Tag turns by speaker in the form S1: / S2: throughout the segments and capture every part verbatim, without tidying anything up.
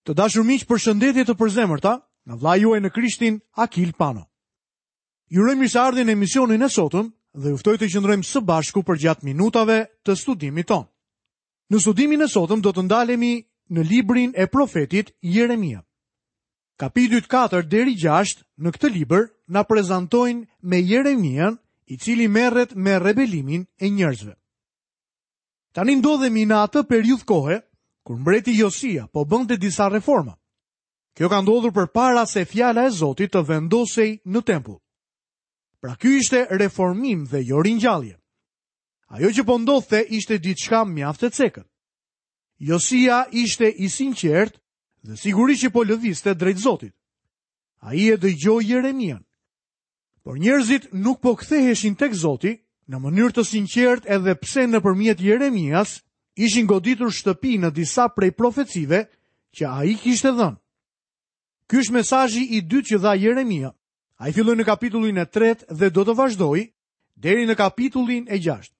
S1: Të dashur miq, përshëndetje të përzemërta nga vllai juaj në Krishtin, Akil Pano. Ju uroj mirëseardhjen në emisionin e sotëm dhe ju ftoj të qëndrojmë së bashku përgjatë minutave të studimit tonë. Në studimin e sotëm do të ndalemi në librin e profetit Jeremia. Kapitujt katër deri gjashtë në këtë libër na prezantojnë me Jeremian, i cili merret me rebelimin e njerëzve. Tani ndodhemi në atë periudhë kohe kur mbreti Josia po bënte disa reforma. Kjo ka ndodhur përpara se fjala e Zotit të vendosej në tempull. Pra ky ishte reformim dhe jo ringjallje. Ajo që po ndodhte ishte diçka mjaft e cekët. Josia ishte i sinqert dhe sigurisht që po lëvizte drejt Zotit. Ai e dëgjoi Jeremian. Por njerëzit nuk po ktheheshin tek Zoti në mënyrë të sinqert, edhe pse nëpërmjet Jeremias ishin goditur shtëpi në disa prej profecive që ai kishte dhënë. Ky është mesazhi i dytë që dha Jeremia. Ai filloi në kapitullin e tretë dhe do të vazhdojë deri në kapitullin e gjashtë.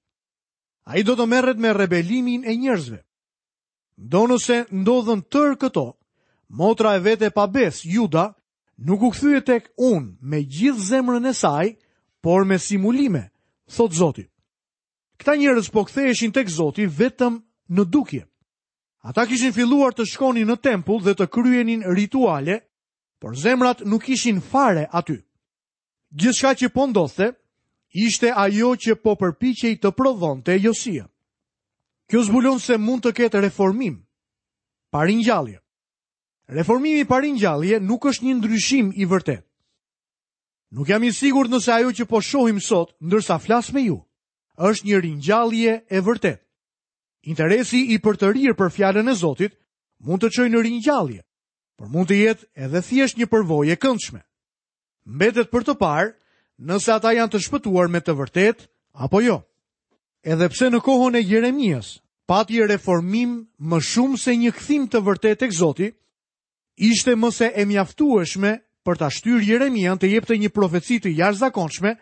S1: Ai do të merret me rebelimin e njerëzve. Ndonëse ndodhën tërë këto, motra e vete pa besë, Juda, nuk u kthye tek unë me gjithë zemrën e saj, por me simulime, thot Zoti. Këta njerëz po ktheheshin tek Zoti vetëm në dukje. Ata kishin filluar të shkonin në tempull dhe të kryenin rituale, por zemrat nuk ishin fare aty. Gjithçka që po ndodhte ishte ajo që po përpiqej të prodhonte Josia. Kjo zbulon se mund të ketë reformim pa ringjallje. Reformimi pa ringjallje nuk është një ndryshim i vërtet. Nuk jam i sigurt nëse ajo që po shohim sot, ndërsa flas me ju, është një ringjallje e vërtet. Interesi i përtërirë për fjalën e Zotit mund të çojë në ringjallje, por mund të jetë edhe thjesht një përvojë e këndshme. Mbetet për të parë nëse ata janë të shpëtuar me të vërtetë apo jo. Edhe pse në kohën e Jeremias pati reformim më shumë se një kthim të vërtetë tek Zoti, ishte më se e mjaftueshme për ta shtyrë Jeremian të jepte një profeci të jashtëzakonshme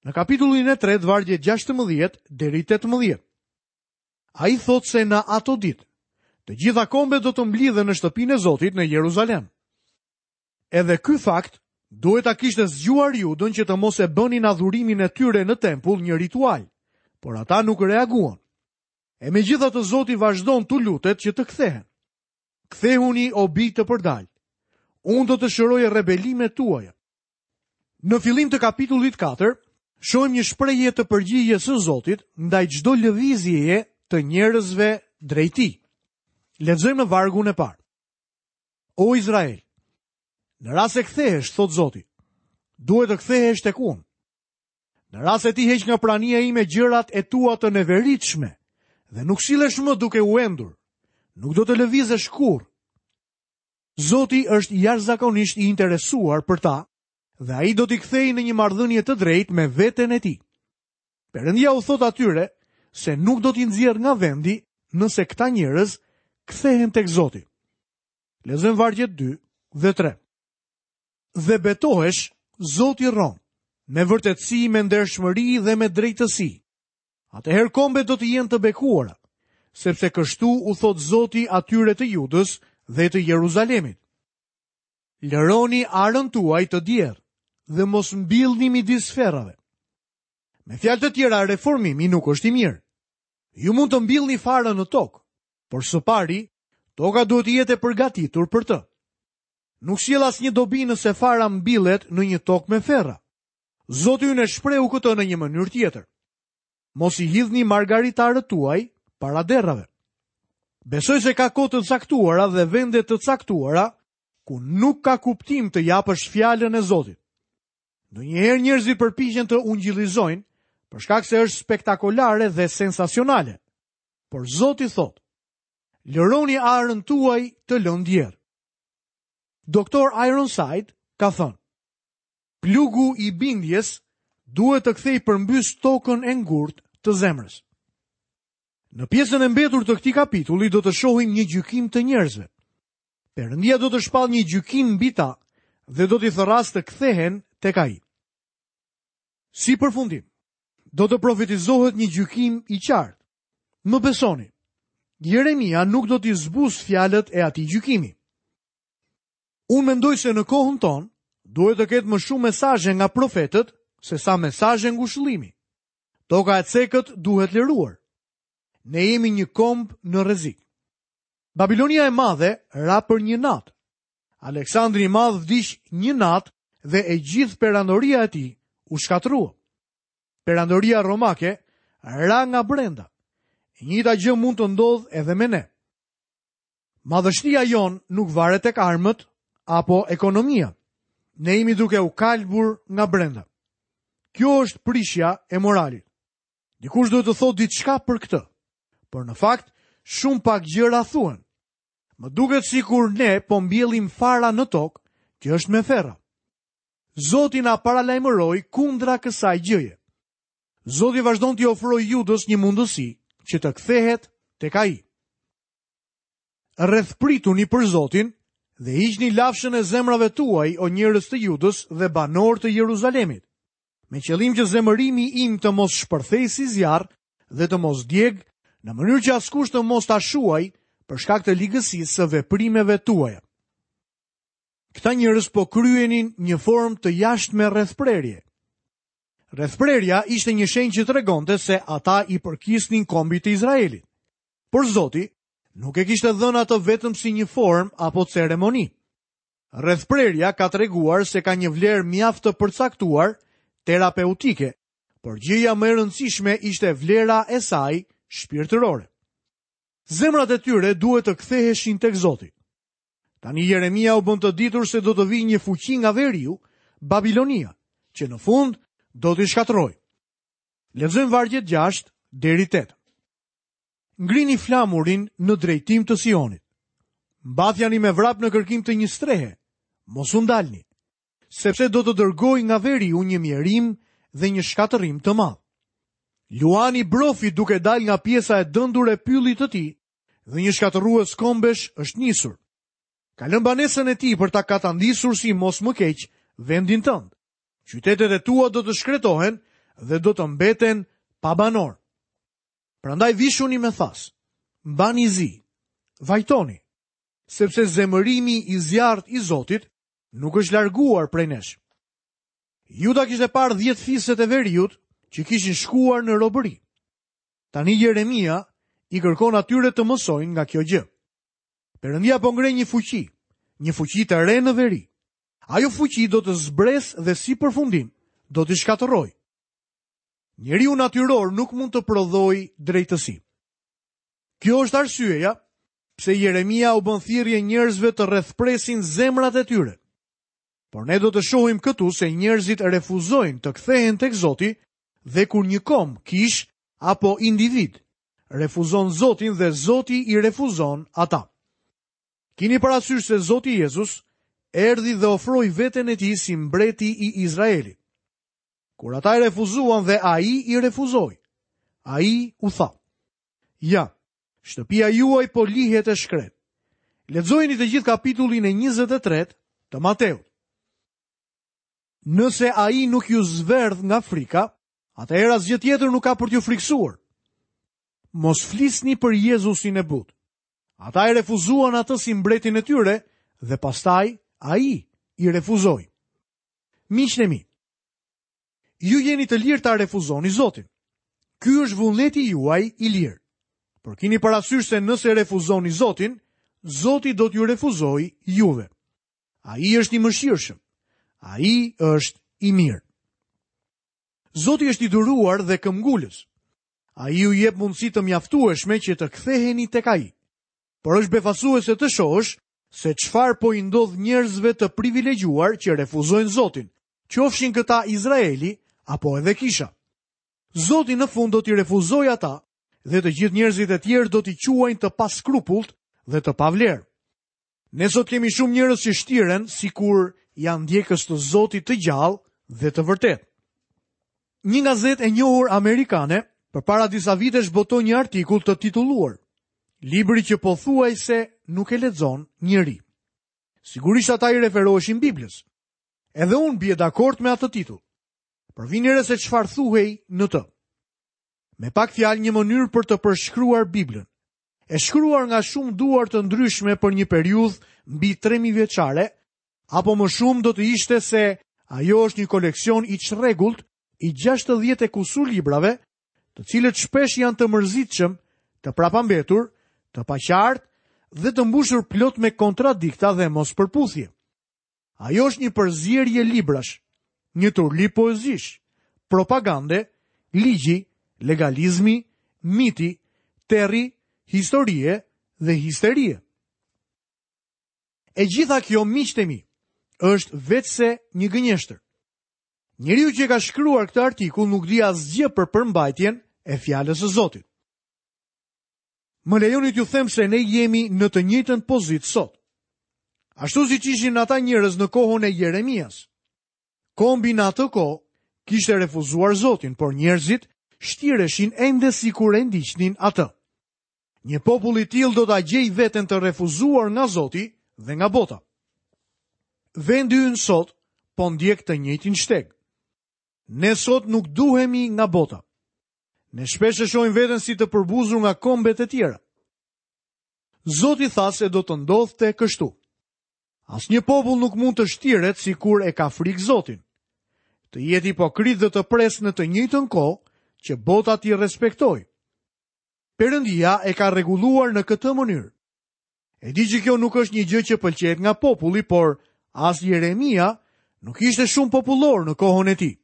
S1: në kapitullin e tretë, vargjet gjashtëmbëdhjetë deri tetëmbëdhjetë. Ai thotë se në ato ditë, të gjitha kombet do të mblidhen në shtëpinë e Zotit në Jeruzalem. Edhe ky fakt duhet ta kishte zgjuar Judën që të mos e bënin adhurimin e tyre në tempull një ritual, por ata nuk reaguan. E megjithatë Zoti vazhdon t'u lutet që të kthehen. Kthehuni o bij të përdal. Unë do të shëroj rebelimet tuaja. Në fillim të kapitullit katër, shohim një shprehje të përgjigjes së Zotit ndaj çdo lëvizjeje të njerëzve drejt tij. Lexojmë në vargun e parë. O Izrael, në rast se kthehesh, thot Zoti, duhet të kthehesh tek unë. Në rast se ti heq nga prania ime gjërat e tua të neveritshme dhe nuk sillesh më duke u endur, nuk do të lëvizesh kurrë. Zoti është jashtëzakonisht i interesuar për ta dhe ai do t'i kthejë në një marrëdhënie të drejtë me veten e tij. Perëndia u thot atyre se nuk do t'i nxjerr nga vendi nëse këta njerëz kthehen tek Zoti. Lexojmë vargjet dy dhe tre. Dhe betohesh, Zoti rron, me vërtetësi, me ndershmëri dhe me drejtësi. Atëherë kombet do të jenë të bekuara, sepse kështu u thot Zoti atyre të Judës dhe të Jeruzalemit. Lëroni arën tuaj të djerë dhe mos mbillni midis ferrave. Me fjalë të tjera, reformimi nuk është i mirë. Ju mund të mbillni farën në tokë, por së pari, toka duhet të jetë e përgatitur për të. Nuk sjell asnjë dobi nëse fara mbillet në një tokë me ferra. Zoti ynë e shprehu këtë në një mënyrë tjetër. Mos i hidhni margaritarët tuaj para derrave. Besoj se ka kohë të caktuara dhe vende të caktuara ku nuk ka kuptim të japësh fjalën e Zotit. Ndonjëherë njerëzit përpiqen të ungjillizojnë për shkak se është spektakolare dhe sensacionale. Por Zoti thotë: Lëroni arën tuaj të lënë djerr. Doktor Ironside ka thënë: Plugu i bindjes duhet të kthej përmbys tokën e ngurtë të zemrës. Në pjesën e mbetur të këtij kapitulli do të shohim një gjykim të njerëzve. Perëndia do të shpallë një gjykim mbi ta dhe do t'i thërrasë të kthehen tek ai. Si përfundim, do të profetizohet një gjykim i qartë. Më besoni, Jeremia nuk do t'i zbus fjalët e atij gjykimi. Unë mendoj se në kohën tonë duhet të ketë më shumë mesazhe nga profetët se sa mesazhe ngushëllimi. Toka e cekët duhet liruar. Ne jemi një komb në rrezik. Babilonia e madhe ra për një natë. Aleksandri i Madh vdiq një natë dhe e gjithë perandoria e tij u shkatërrua. Perandoria romake ra nga brenda. E njëjta gjë mund të ndodhë edhe me ne. Madhështia jonë nuk varet tek armët apo ekonomia. Ne jemi duke u kalbur nga brenda. Kjo është prishja e moralit. Dikush duhet të thotë diçka për këtë. Por në fakt, shumë pak gjëra thuhen. Më duket sikur ne po mbjellim fara në tokë që është me ferra. Zoti na paralajmëroi kundra kësaj gjëje. Zoti vazhdon t'i ofrojë Judës një mundësi që të kthehet tek ai. Rrethprituni për Zotin dhe hiqni lafshën e zemrave tuaj, o njerëz të Judës dhe banorë të Jeruzalemit, me qëllim që zemërimi im të mos shpërthej si zjarr dhe të mos djeg, në mënyrë që askush të mos ta shuaj për shkak të ligësisë së veprimeve tuaja. Këta njerëz po kryenin një formë të jashtme rrethprerje. Rrethprerja ishte një shenjë që tregonte se ata i përkisnin kombit të Izraelit. Por Zoti nuk e kishte dhënë atë vetëm si një formë apo ceremoni. Rrethprerja ka treguar se ka një vlerë mjaft të përcaktuar terapeutike, por gjëja më e rëndësishme ishte vlera e saj shpirtërore. Zemrat e tyre duhet të ktheheshin tek Zoti. Tani Jeremia u bën të ditur se do të vijë një fuqi nga veriu, Babilonia, që në fund do t'i shkatërrojë. Lexojmë vargjet gjashtë deri tetë. Ngrini flamurin në drejtim të Sionit. Mbathjani me vrap në kërkim të një strehe. Mos u ndalni, sepse do të dërgoj nga veriu një mjerim dhe një shkatërrim të madh. Luani brofi duke dalë nga pjesa e dëndur e pyllit të tij dhe një shkatërrues kombesh është nisur. Ka lënë banesën e tij për ta katandisur si mos më keq vendin tënd. Qytetet e tua do të shkretohen dhe do të mbeten pa banor. Prandaj vishuni me thas, mbani zi, vajtoni, sepse zemërimi i zjarrt i Zotit nuk është larguar prej nesh. Juda kishte parë dhjetë fiset e veriut që kishin shkuar në robëri. Tani Jeremia i kërkon atyre të mësojnë nga kjo gjë. Perëndia po ngre një fuqi, një fuqi të re në veri. Ajo fuqi do të zbres dhe si përfundim do t'i shkatërrojë. Njeriu natyror nuk mund të prodhojë drejtësi. Kjo është arsyeja pse Jeremia u bën thirrje njerëzve të rrethpresin zemrat e tyre. Por ne do të shohim këtu se njerëzit refuzojnë të kthehen tek Zoti dhe kur një komb, kish apo individ refuzon Zotin dhe Zoti i refuzon ata. Kini parasysh se Zoti Jezus erdhi dhe ofroi veten e tij si mbreti i Izraelit. Kur ata e refuzuan dhe ai i refuzoi, ai u tha: "Ja, shtëpia juaj po lihet e shkret." Lexojeni të gjithë kapitullin e njëzet e tretë të Mateut. Nëse ai nuk ju zverdh nga frika, atëherë asgjë tjetër nuk ka për t'ju friksuar. Mos flisni për Jezusin e butë. Ata e refuzuan atë si mbretin e tyre dhe pastaj ai i refuzoi. Miqtë e mi, ju jeni të lirë ta refuzoni Zotin. Ky është vullneti juaj i lirë. Por kini parasysh se nëse refuzoni Zotin, Zoti do t'ju refuzojë juve. Ai është i mëshirshëm. Ai është i mirë. Zoti është i duruar dhe këmbgulës. Ai ju jep mundësi të mjaftueshme që të ktheheni tek ai. Por është befasuese të shohësh se çfarë po i ndodh njerëzve të privilegjuar që refuzojnë Zotin, qofshin këta Izraeli apo edhe kisha. Zoti në fund do t'i refuzojë ata dhe të gjithë njerëzit e tjerë do t'i quajnë të paskrupullt dhe të pavlerë. Ne sot kemi shumë njerëz që shtiren sikur janë ndjekës të Zotit të gjallë dhe të vërtetë. Një gazetë e njohur amerikane përpara disa vitesh botoi një artikull të titulluar Libri që pothuajse nuk e lexon njeri. Sigurisht ata i referoheshin Biblës. Edhe unë bie dakord me atë titull. Por vini re se çfarë thuhej në të. Me pak fjalë, një mënyrë për të përshkruar Biblën, e shkruar nga shumë duar të ndryshme për një periudhë mbi tre mijë vjeçare, Apo më shumë do të ishte se ajo është një koleksion i çrregullt i gjashtëdhjetë e kusur librave, të cilët shpesh janë të mërzitshëm, të prapambetur, të paqartë dhe të mbushur plot me kontradikta dhe mospërputhje. Ajo është një përzierje librash, një turli poezish, propagande, ligji, legalizmi, miti, terri, historie dhe histerie. E gjitha kjo, miqtë e mi, është veçse një gënjeshtër. Njeriu që ka shkruar këtë artikull nuk di asgjë për përmbajtjen e fjalës së Zotit. Më lejoni t'ju them se ne jemi në të njëjtën pozitë sot. Ashtu siç ishin ata njerëz në kohën e Jeremias. Kombi në atë kohë kishte refuzuar Zotin, por njerëzit shtireshin ende sikur e ndiqnin atë. Një popull i tillë do ta gjejë veten të refuzuar nga Zoti dhe nga bota. Vendi ynë sot po ndjek të njëjtin shteg. Ne sot nuk duhemi nga bota. Ne shpesh e shohim veten si të përbuzur nga kombet e tjera. Zoti tha se do të ndodhte kështu. Asnjë popull nuk mund të shtiret sikur e ka frikë Zotin. Të jetë hipokrit dhe të presë në të njëjtën kohë që bota t'i respektojë. Perëndia e ka rregulluar në këtë mënyrë. E di që kjo nuk është një gjë që pëlqehet nga populli, por as Jeremia nuk ishte shumë popullor në kohën e tij.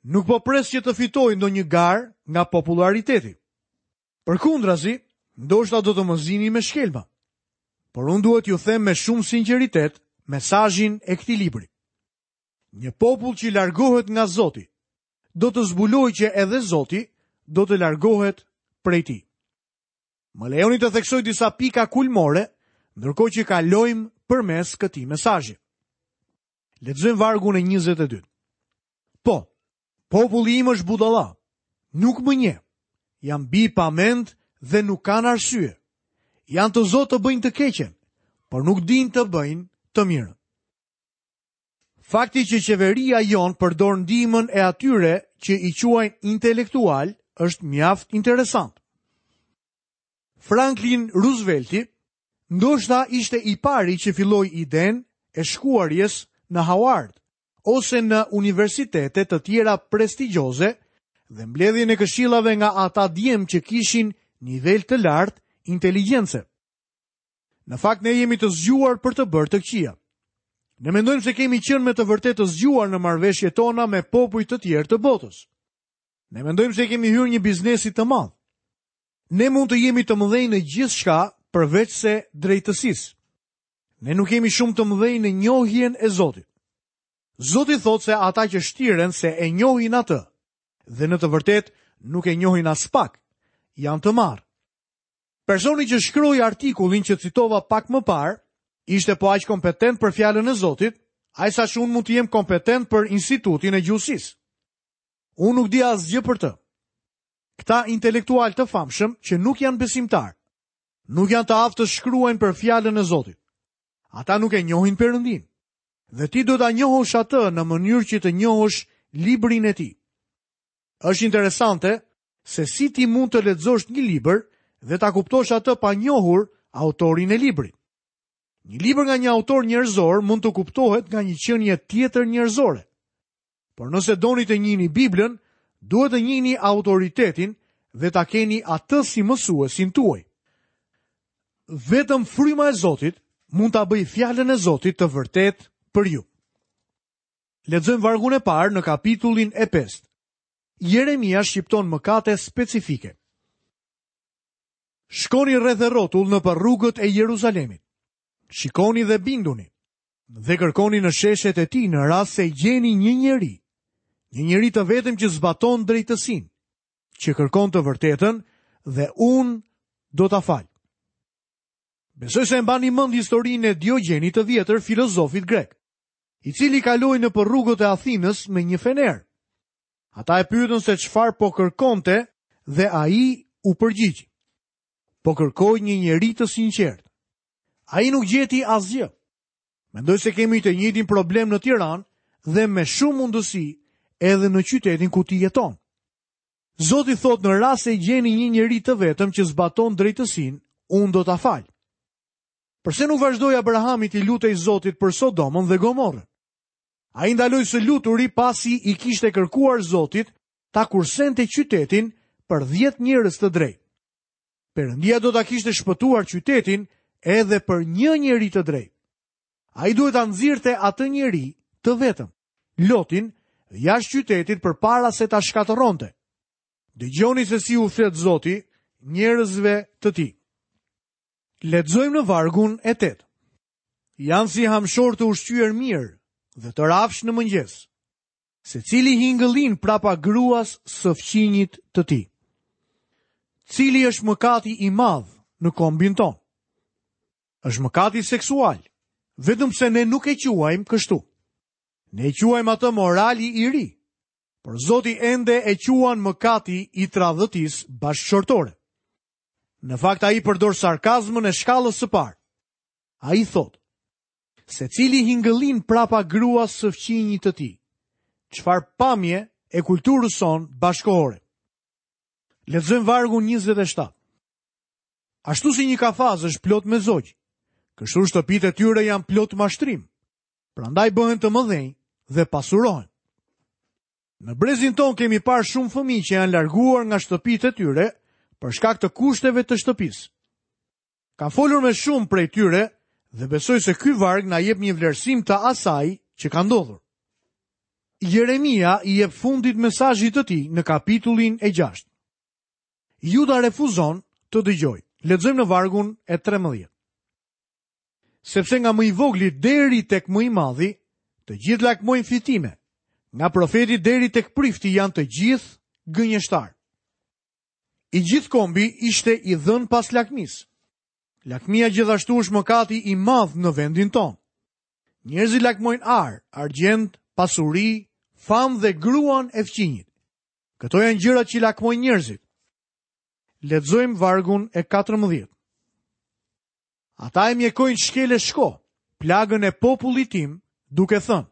S1: Nuk po pres që të fitoj ndonjë garë nga populariteti. Përkundrazi, ndoshta do të më zini me shkelma. Por unë duhet t'ju them me shumë sinqeritet mesazhin e këtij libri. Një popull që largohet nga Zoti, do të zbulojë që edhe Zoti do të largohet prej tij. Më lejoni të theksoj disa pika kulmore, ndërkohë që kalojmë përmes këtij mesazhi. Lexojmë vargun e njëzet e dytë. Po, populli im është budalla, nuk më njeh. Janë bi pa mend dhe nuk kanë arsye. Janë të zotë të bëjnë të keqen, por nuk dinë të bëjnë të mirën. Fakti që qeveria jonë përdor ndihmën e atyre që i quajnë intelektual është mjaft interesant. Franklin Roosevelti ndoshta ishte i pari që filloi idenë e shkuarjes në Howard ose në universitete të tjera prestigjioze dhe mbledhjen e këshillave nga ata djem që kishin nivel të lartë inteligjence. Në fakt ne jemi të zgjuar për të bërë të këqija. Ne mendojmë se kemi qenë me të vërtetë të zgjuar në marrëveshjet tona me popuj të tjerë të botës. Ne mendojmë se kemi hyrë një biznesi të madh. Ne mund të jemi të mëdhenj në gjithçka përveç se drejtësisë. Ne nuk jemi shumë të mëdhenj në njohjen e Zotit. Zoti thotë se ata që shtiren se e njohin atë dhe në të vërtetë nuk e njohin as pak, janë të marrë. Personi që shkroi artikullin që citova pak më parë ishte po aq kompetent për fjalën e Zotit, aq sa që unë mund të jem kompetent për Institutin e Gjuhësisë. Unë nuk di asgjë për të. Këta intelektual të famshëm që nuk janë besimtar, nuk janë të aftë të shkruajnë për fjalën e Zotit. Ata nuk e njohin Perëndin. Dhe ti do ta njohësh atë në mënyrë që të njohësh librin e tij. Është interesante se si ti mund të lexosh një libër dhe ta kuptosh atë pa njohur autorin e librit. Një libër nga një autor njerëzor mund të kuptohet nga një qenie tjetër njerëzore. Por nëse doni të njihni Biblën, duhet të njihni autoritetin dhe ta keni atë si mësuesin tuaj. Vetëm fryma e Zotit mund ta bëjë fjalën e Zotit të vërtetë për ju. Lexojmë vargun e parë në kapitullin e pestë. Jeremia shqipton mëkate specifike. Shkoni rreth e rrotull nëpër rrugët e Jeruzalemit. Shikoni dhe binduni, dhe kërkoni në sheshet e tij në rast se gjeni një njeri, një njeri të vetëm që zbaton drejtësinë, që kërkon të vërtetën dhe unë do ta fal. Besoj se e mbani mend historinë e Diogjenit të vjetër, filozofit grek, i cili kaloi nëpër rrugët e Athinës me një fener. Ata e pyetën se çfarë po kërkonte dhe ai u përgjigj: Po kërkoj një njeri të sinqert. Ai nuk gjeti asgjë. Mendoj se kemi të njëjtin problem në Tiranë dhe me shumë mundësi edhe në qytetin ku ti jeton. Zoti thotë në rast se gjeni një njeri të vetëm që zbaton drejtësinë, unë do ta fal. Përse nuk vazhdoi Abrahami t'i lutej Zotit për Sodomën dhe Gomorrën? Ai ndaloi së luturi pasi i kishte kërkuar Zotit ta kursente qytetin për dhjetë njerëz të drejtë. Perëndia do ta kishte shpëtuar qytetin edhe për një njeri të drejtë. Ai duhet ta nxirrte atë njeri të vetëm, Lotin, jashtë qytetit përpara se ta shkatërronte. Dëgjoni se si u flet Zoti njerëzve të tij. Lexojmë në vargun e tetë. Janë si hamshor të ushqyer mirë dhe të rafsh në mëngjes. Secili hingëllin prapa gruas së fqinjit të tij. Cili është mëkati i madh në kombin tonë? Është mëkati seksual, vetëm pse ne nuk e quajmë kështu. Ne e quajmë atë morali i ri, por Zoti ende e quan mëkati i tradhëtisë bashkëshortore. Në fakt ai përdor sarkazmën e shkallës së parë. Ai thotë: Secili hingëllin prapa gruas së fqinjit të tij. Çfarë pamje e kulturës sonë bashkohore. Lexojmë vargun njëzet e shtatë. Ashtu si një kafaz është plot me zogj, kështu shtëpitë e tyre janë plot mashtrim. Prandaj bëhen të mëdhenj dhe pasurohen. Në brezin ton kemi parë shumë fëmijë që janë larguar nga shtëpitë e tyre për shkak të kushteve të shtëpisë. Kam folur me shumë prej tyre dhe besoj se ky varg na jep një vlerësim të asaj që ka ndodhur. Jeremia i jep fundit mesazhit të tij në kapitullin e gjashtë. Juda refuzon të dëgjojë. Lexojmë në vargun e trembëdhjetë. Sepse nga më i vogli deri tek më i madhi, të gjithë lakmojnë fitime. Nga profeti deri tek prifti janë të gjithë gënjeshtar. I gjithë kombi ishte i dhënë pas lakmisë. Lakmia gjithashtu është mëkati i madh në vendin tonë. Njerëzit lakmojnë ar, argjend, pasuri, famë dhe gruan e fqinjit. Këto janë gjërat që lakmojnë njerëzit. Lexojmë vargun e katërmbëdhjetë. Ata e mjekojnë shkel e shko, plagën e popullit tim, duke thënë: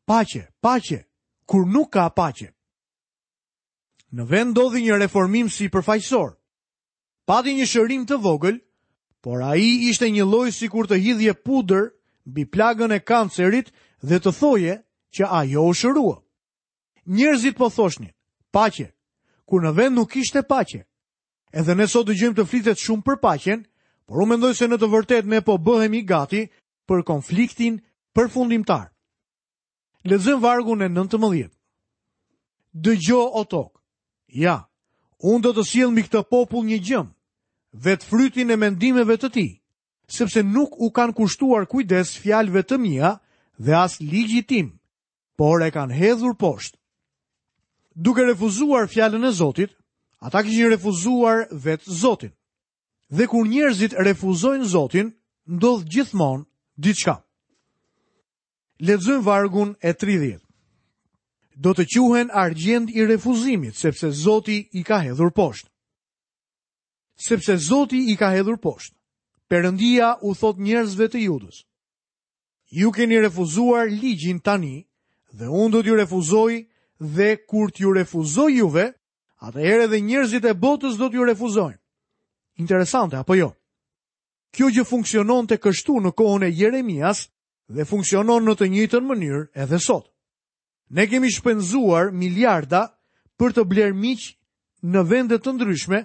S1: Paqe, paqe, kur nuk ka paqe. Në vend ndodhi një reformim si përfaqësor. Pati një shërim të vogël, por ai ishte një lloj sikur të hidhje pudër mbi plagën e kancerit dhe të thoje që ajo u shërua. Njerëzit po thoshnin: Paqe, kur në vend nuk ishte paqe. Edhe ne sot dëgjojmë të flitet shumë për paqen, por unë mendoj se në të vërtetë ne po bëhemi gati për konfliktin përfundimtar. Lexojmë vargun e nëntëmbëdhjetë. Dëgjo o tokë. Ja, unë do të sjell mbi këtë popull një gjëm, vetë frytin e mendimeve të tij, sepse nuk u kanë kushtuar kujdes fjalëve të mia dhe as ligjit tim, por e kanë hedhur poshtë. Duke refuzuar fjalën e Zotit, ata kishin refuzuar vetë Zotin. Dhe kur njerëzit refuzojnë Zotin, ndodh gjithmonë diçka. Lexojmë vargun e tridhjetë. Do të quhen argjend i refuzimit, sepse Zoti i ka hedhur poshtë. Sepse Zoti i ka hedhur poshtë. Perëndia u thot njerëzve të Judës: Ju keni refuzuar ligjin tani, dhe unë do t'ju refuzoj, dhe kur t'ju refuzoj juve, atëherë edhe njerëzit e botës do t'ju refuzojnë. Interesante, apo jo? Kjo gjë funksiononte kështu në kohën e Jeremias dhe funksionon në të njëjtën mënyrë edhe sot. Ne kemi shpenzuar miliarda për të blerë miq në vende të ndryshme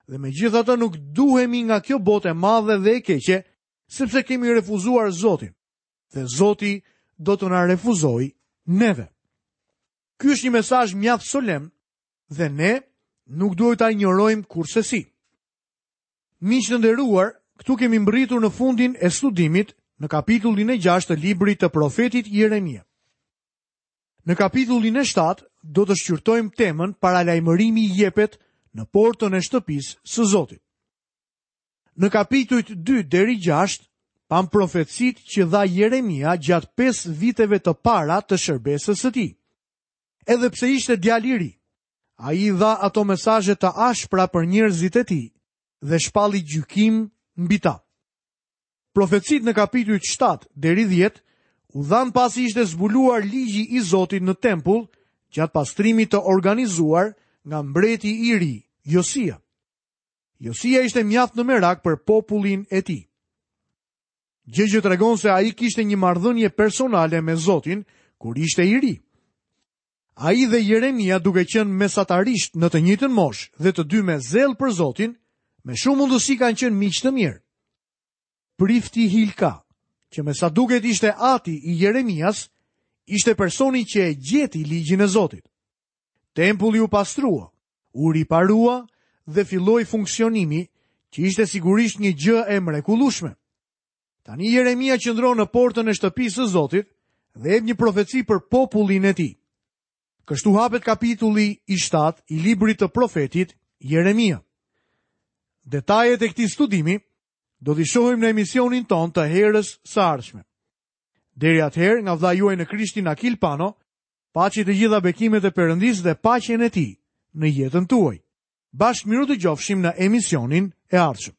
S1: dhe megjithatë nuk duhemi nga kjo botë e madhe dhe e keqe, sepse kemi refuzuar Zotin dhe Zoti do të na refuzojë neve. Ky është një mesazh mjaft solemn dhe ne nuk duhet ta injorojmë kurrsesi. Miq të nderuar, këtu kemi mbërritur në fundin e studimit në kapitullin e gjashtë të librit të profetit Jeremia. Në kapitullin e shtatë do të shqyrtojmë temën paralajmërimi jepet në portën e shtëpisë së Zotit. Në kapitujt dy deri gjashtë pam profecitë që dha Jeremia gjatë pesë viteve të para të shërbesës së tij. Edhe pse ishte djalë i ri, ai i dha ato mesazhe të ashpra për njerëzit e tij dhe shpalli gjykim mbi ta. Profecitë në kapitujt shtatë deri dhjetë u dhanë pasi ishte zbuluar ligji i Zotit në tempull gjatë pastrimit të organizuar nga mbreti i ri, Josia. Josia ishte mjaft në merak për popullin e tij. Gjë që tregon se ai kishte një marrëdhënie personale me Zotin kur ishte i ri. Ai dhe Jeremia duke qenë mesatarisht në të njëjtën moshë dhe të dy me zell për Zotin, me shumë mundësi kanë qenë miq të mirë. Prifti Hilka, që me sa duket ishte ati i Jeremias, ishte personi që e gjeti ligjin e Zotit. Tempulli u pastrua, u riparua dhe filloi funksionimi, që ishte sigurisht një gjë e mrekullueshme. Tani Jeremia qëndron në portën e shtëpisë së Zotit dhe jep një profeci për popullin e tij. Kështu hapet kapitulli i shtatë i librit të profetit Jeremia. Detajet e këtij studimi do t'i shohim në emisionin tonë të herës së ardhshme. Deri atëherë, nga vëllai juaj në Krishtin Akil Pano, paçi të gjitha bekimet e Perëndisë dhe paqen e tij në jetën tuaj. Bashkë mirudëgjofshim në emisionin e ardhshëm.